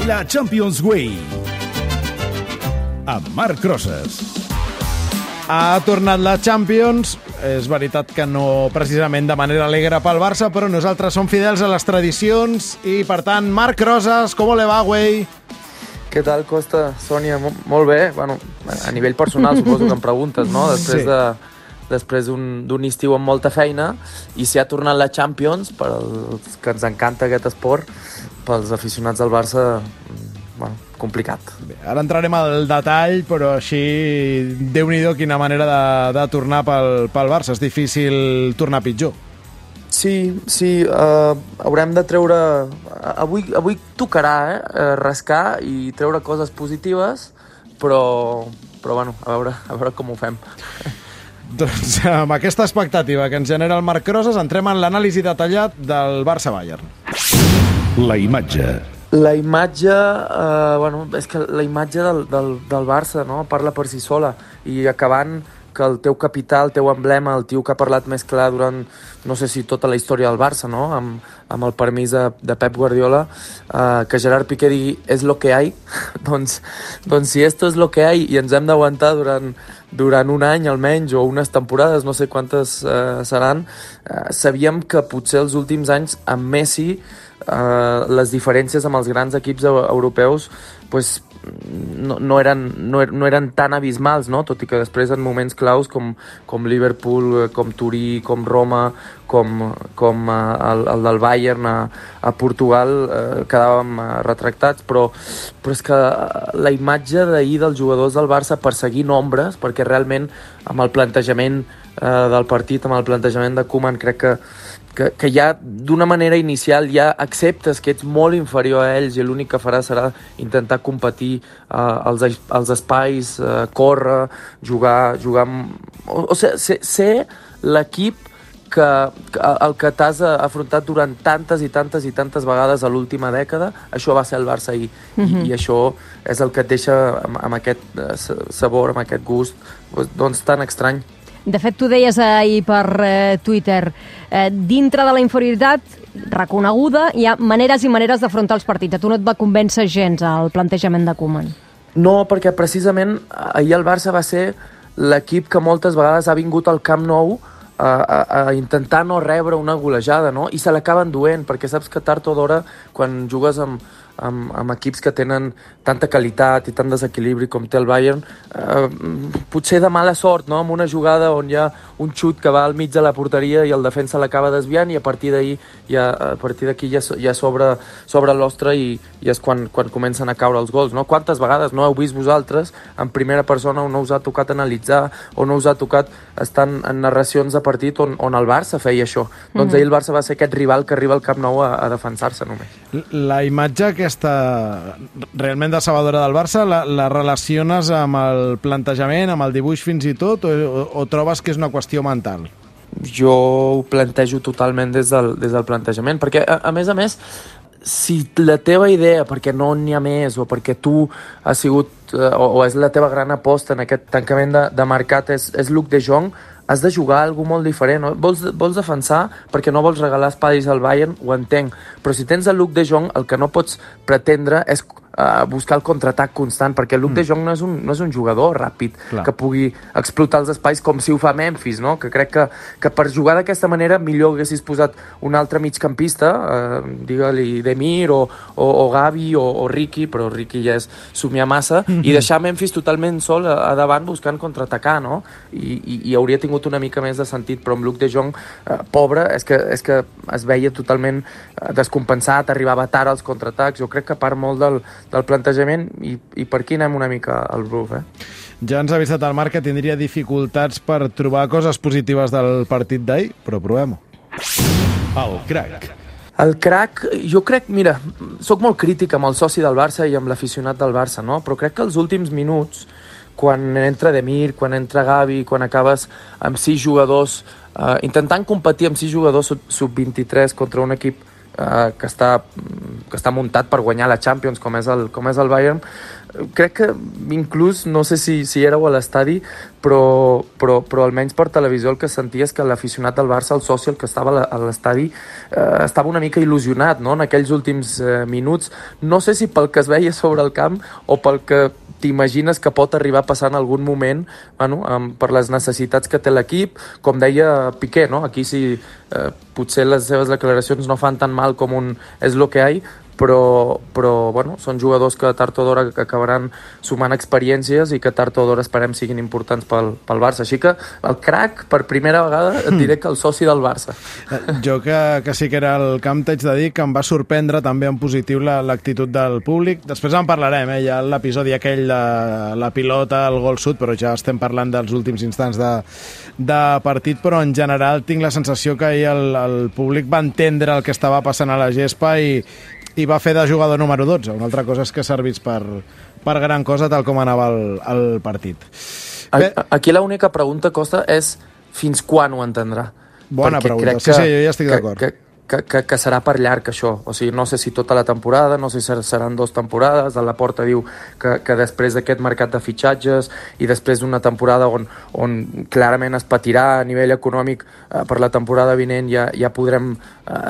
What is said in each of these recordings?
La Champions Way amb Marc Rosas. Ha tornat la Champions. És veritat que no precisament de manera alegre pel Barça, però nosaltres som fidels a les tradicions i, per tant, Marc Rosas, com le va, güey? Què tal, Costa? Sònia, molt bé. Bueno, a nivell personal suposo que em preguntes, no? Després d'un estiu amb molta feina, i si ha tornat la Champions, per als que ens encanta aquest esport, pels aficionats del Barça, bueno, complicat. Bé, ara entrarem al detall, però així, Déu-n'hi-do quina manera de tornar pel Barça. És difícil tornar pitjor. Sí, haurem de treure... Avui tocarà rascar i treure coses positives, però bueno, a veure com ho fem. Doncs amb aquesta expectativa que ens genera el Marc Rosas, entrem en l'anàlisi detallat del Barça-Bayern. La imatge. La imatge, és que la imatge del Barça, no?, parla per si sola, i acabant que el teu capità, el teu emblema, el tio que ha parlat més clar durant, no sé si tota la història del Barça, no?, amb el permís de Pep Guardiola, que Gerard Piqué digui és lo que hay, doncs si esto es lo que hay i ens hem d'aguantar durant un any almenys, o unes temporades, no sé quantes seran, sabíem que potser els últims anys amb Messi les diferències amb els grans equips europeus pues, no eren tan abismals, no? Tot i que després en moments claus com Liverpool, com Turí, com Roma, com el del Bayern a Portugal, quedàvem retractats, però és que la imatge d'ahir dels jugadors del Barça perseguint ombres, perquè realment amb el plantejament del partit, amb el plantejament de Koeman, crec que ja d'una manera inicial ja acceptes que ets molt inferior a ells i l'únic que faràs serà intentar competir als espais, córrer, jugar o sigui, ser l'equip el que t'has afrontat durant tantes i tantes i tantes vegades a l'última dècada. Això va ser el Barça ahir, i això és el que et deixa amb aquest sabor, amb aquest gust doncs tan estrany. De fet, tu deies ahir per Twitter, dintre de la inferioritat reconeguda hi ha maneres i maneres d'afrontar els partits. A tu no et va convèncer gens el plantejament de Koeman? No, perquè precisament ahir el Barça va ser l'equip que moltes vegades ha vingut al Camp Nou a intentar no rebre una golejada, no? I se l'acaben duent, perquè saps que tard o d'hora, quan jugues amb equips que tenen tanta qualitat i tant desequilibri com té el Bayern, potser de mala sort, no?, amb una jugada on hi ha un xut que va al mig de la porteria i el defensa l'acaba desviant, i a partir d'aquí ja s'obre l'ostre i és quan comencen a caure els gols, no? Quantes vegades no heu vist vosaltres en primera persona, on no us ha tocat analitzar, o no us ha tocat estar en narracions de partit on el Barça feia això? Doncs ahir el Barça va ser aquest rival que arriba al Camp Nou a defensar-se només. La imatge aquesta realment decebedora del Barça, la relaciones amb el plantejament, amb el dibuix fins i tot, o trobes que és una qüestió mental? Jo ho plantejo totalment des del plantejament, perquè a més, si la teva idea, perquè no n'hi ha més, o perquè tu has sigut, o és la teva gran aposta en aquest tancament de mercat, és Luc de Jong, has de jugar alguna molt diferent, no? Vols defensar perquè no vols regalar espais al Bayern, ho entenc, però si tens el Luc de Jong, el que no pots pretendre és buscar el contraatac constant, perquè Luc de Jong no és un jugador ràpid. Clar. Que pugui explotar els espais com si ho fa Memphis, no? Que crec que per jugar d'aquesta manera millor haguessis posat un altre migcampista, digue-li Demir o Gavi o Riqui, però Riqui ja és somiar massa, i deixar Memphis totalment sol a davant buscant contraatacar, no? I hauria tingut una mica més de sentit, però amb Luc de Jong, pobre, és que es veia totalment descompensat, arribava tard als contraatacs. Jo crec que part molt del plantejament, i per aquí anem una mica al bluff, Ja ens ha avisat el Marc que tindria dificultats per trobar coses positives del partit d'ahir, però provem-ho. El crack. El crack, jo crec, mira, soc molt crític amb el soci del Barça i amb l'aficionat del Barça, no? Però crec que els últims minuts, quan entra Demir, quan entra Gavi, quan acabes amb 6 jugadors, intentant competir amb 6 jugadors sub-23 contra un equip que està muntat per guanyar la Champions, com és el Bayern, crec que inclús, no sé si éreu a l'estadi, però almenys per televisió el que sentia és que l'aficionat del Barça, el soci, el que estava a l'estadi, estava una mica il·lusionat, no?, en aquells últims minuts. No sé si pel que es veia sobre el camp o pel que t'imagines que pot arribar a passar en algun moment, bueno, per les necessitats que té l'equip, com deia Piqué, no? Aquí sí, potser les seves declaracions no fan tan mal com un és lo que hay, però bueno, són jugadors que tard o d'hora acabaran sumant experiències i que tard o d'hora esperem siguin importants pel Barça. Així que el crack, per primera vegada, et diré que el soci del Barça. Jo que sí que era al camp, t'haig de dir que em va sorprendre també en positiu l'actitud del públic. Després en parlarem, ja l'episodi aquell de la pilota, el gol sud, però ja estem parlant dels últims instants de partit, però en general tinc la sensació que ahir el públic va entendre el que estava passant a la gespa i va fer de jugador número 12. Una altra cosa és que servís per gran cosa, tal com anava el partit. Aquí l'única pregunta, Costa, és fins quan ho entendrà? Bona pregunta. Sí, jo ja estic d'acord. Que serà per llarg, això. O sigui, no sé si tota la temporada, no sé si seran 2 temporades. El Laporta diu que després d'aquest mercat de fitxatges i després d'una temporada on clarament es patirà a nivell econòmic, per la temporada vinent ja podrem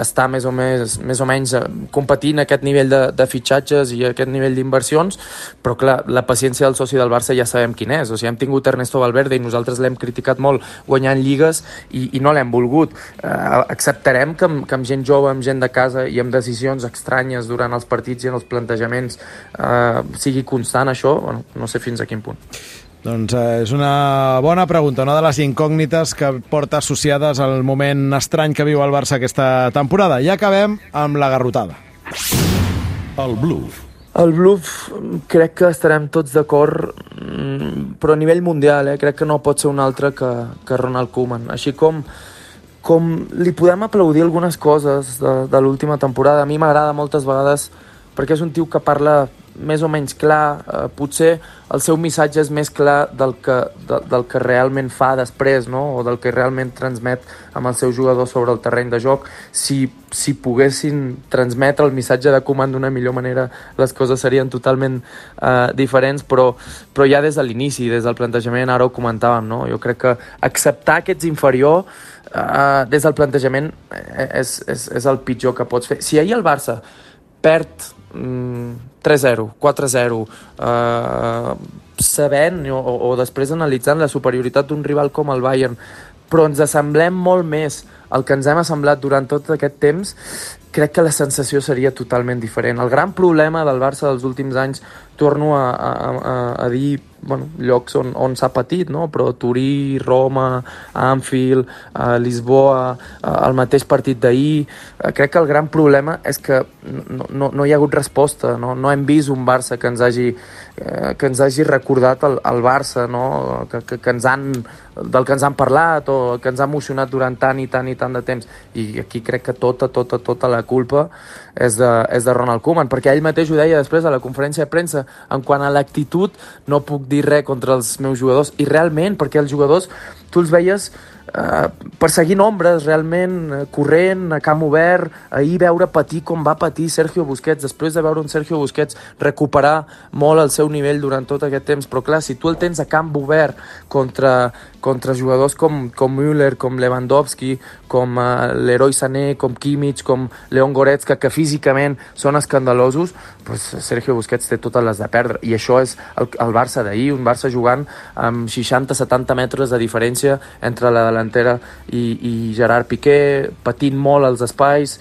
estar més o menys competint a aquest nivell de fitxatges i a aquest nivell d'inversions, però clar, la paciència del soci del Barça ja sabem quin és. O sigui, hem tingut Ernesto Valverde i nosaltres l'hem criticat molt guanyant lligues i no l'hem volgut. Acceptarem que amb gent jove, amb gent de casa i amb decisions estranyes durant els partits i en els plantejaments sigui constant això? Bueno, no sé fins a quin punt. Doncs és una bona pregunta, una de les incògnites que porta associades al moment estrany que viu el Barça aquesta temporada. I acabem amb la garrotada. El bluff. El bluff crec que estarem tots d'acord, però a nivell mundial, crec que no pot ser un altre que Ronald Koeman. Així com li podem aplaudir algunes coses de l'última temporada, a mi m'agrada moltes vegades perquè és un tio que parla més o menys clar, potser el seu missatge és més clar del que realment fa després, no? O del que realment transmet amb el seu jugador sobre el terreny de joc. Si poguessin transmetre el missatge de Koeman d'una millor manera, les coses serien totalment diferents, però ja des de l'inici, des del plantejament, ara ho comentàvem, no? Jo crec que acceptar que ets inferior des del plantejament és el pitjor que pots fer. Si ahir el Barça perd 3-0, 4-0, sabent o després analitzant la superioritat d'un rival com el Bayern, però ens assemblem molt més al que ens hem assemblat durant tot aquest temps, crec que la sensació seria totalment diferent. El gran problema del Barça dels últims anys, torno a dir, bueno, llocs on s'ha patit, no? Però Turí, Roma, Anfield, Lisboa, el mateix partit d'ahir, crec que el gran problema és que no hi ha hagut resposta, no hem vist un Barça que ens hagi recordat el Barça, no? Del que ens han parlat o que ens ha emocionat durant tant i tant de temps. I aquí crec que tota la culpa és de Ronald Koeman, perquè ell mateix ho deia després a la conferència de premsa, en quant a l'actitud no puc dir res contra els meus jugadors, i realment, perquè els jugadors tu els veies perseguint ombres, realment corrent, a camp obert, ahir veure patir com va patir Sergio Busquets, després de veure un Sergio Busquets recuperar molt el seu nivell durant tot aquest temps, però clar, si tu el tens a camp obert contra jugadors com Müller, com Lewandowski, com Leroy Sané, com Kimmich, com Leon Goretzka, que físicament són escandalosos, doncs Sergio Busquets té totes les de perdre, i això és el Barça d'ahir, un Barça jugant amb 60-70 metres de diferència entre la delantera i Gerard Piqué, patint molt els espais.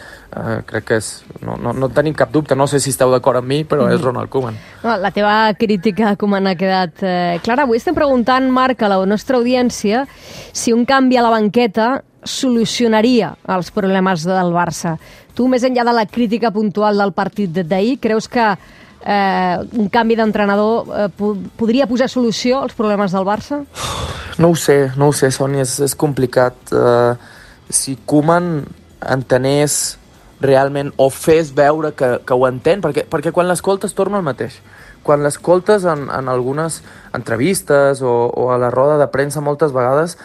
Crec que no tenim cap dubte, no sé si esteu d'acord amb mi, però és Ronald Koeman. La teva crítica a Koeman ha quedat clara. Avui estem preguntant, Marc, a la nostra audiència, si un canvi a la banqueta solucionaria els problemes del Barça. Tu, més enllà de la crítica puntual del partit d'ahir, creus que un canvi d'entrenador podria posar solució als problemes del Barça? No ho sé, Sònia, és complicat. Si Koeman entenés realment o fes veure que ho entén, perquè quan l'escoltes torna al mateix. Quan l'escoltes en algunes entrevistes o a la roda de premsa moltes vegades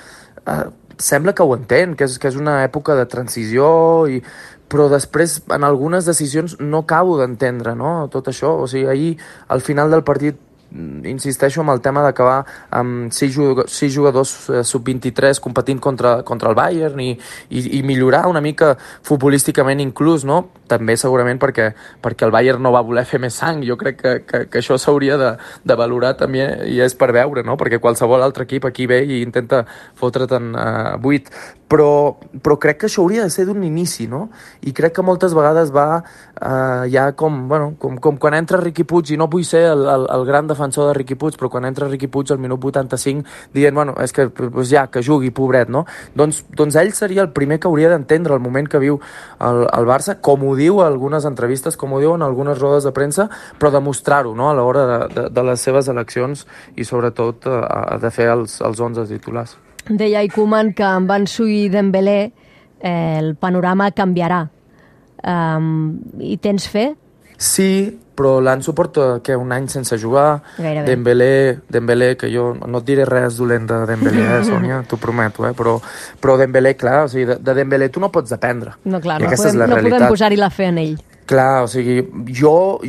sembla que ho entén, que és una època de transició, però després en algunes decisions no acabo d'entendre, no? Tot això. O sigui, ahir al final del partit insisteixo amb el tema d'acabar amb 6 jugadors sub-23 competint contra el Bayern i millorar una mica futbolísticament inclús, no? També segurament perquè el Bayern no va voler fer més sang. Jo crec que això s'hauria de valorar també, i és per veure, no? Perquè qualsevol altre equip aquí ve i intenta fotre't-en 8, però crec que això hauria de ser d'un inici, no? I crec que moltes vegades va ja com quan entra Riqui Puig, i no vull ser el gran defensor de Riqui Puig, però quan entra Riqui Puig al minut 85 dient, és que pues ja, que jugui, pobret, no? Doncs ell seria el primer que hauria d'entendre el moment que viu el Barça, com ho diu a algunes entrevistes, com ho diu en algunes rodes de premsa, però demostrar-ho, no?, a l'hora de les seves eleccions i sobretot de fer els 11 titulars. Deia Koeman que amb Ansu i Dembélé el panorama canviarà. I tens fe? Sí, però l'Ansu porta un any sense jugar. Gairebé. Dembélé, que jo no et diré res dolent de Dembélé, Sònia, t'ho prometo, però Dembélé, clar, o sigui, de Dembélé tu no pots dependre. No, clar, no podem posar-hi la fe en ell. Clar, o sigui, jo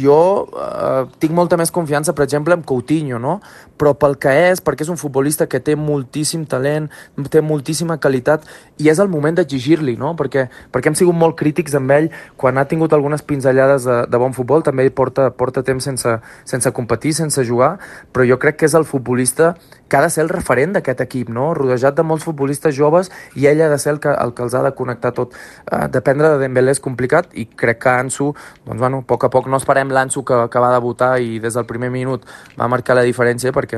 tinc molta més confiança, per exemple, en Coutinho, no? Però perquè és un futbolista que té moltíssim talent, té moltíssima qualitat, i és el moment d'exigir-li, no? Perquè hem sigut molt crítics amb ell quan ha tingut algunes pinzellades de bon futbol, també porta temps sense competir, sense jugar, però jo crec que és el futbolista que ha de ser el referent d'aquest equip, no? Rodejat de molts futbolistes joves, i ell ha de ser el que els ha de connectar tot. Dependre de Dembélé és complicat, i crec que Ansu, a poc a poc no esperem l'Ansu que va debutar i des del primer minut va marcar la diferència, perquè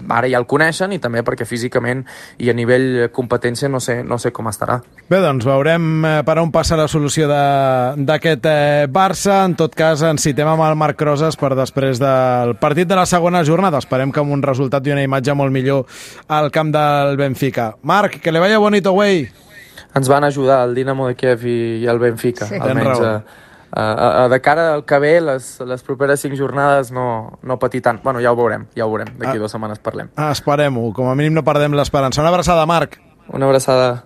ara ja el coneixen, i també perquè físicament i a nivell competència no sé com estarà. Bé, doncs veurem per on passa la solució d'aquest Barça. En tot cas, ens citem amb el Marc Rosas per després del partit de la segona jornada. Esperem que amb un resultat i una imatge molt millor al camp del Benfica. Marc, que le vaya bonito, güey. Ens van ajudar el Dinamo de Kiev i el Benfica, sí, almenys de cara al que ve, les properes 5 jornades no patir tant. Ja ho veurem, d'aquí 2 setmanes parlem. Esperem-ho, com a mínim no perdem l'esperança. Una abraçada, Marc. Una abraçada.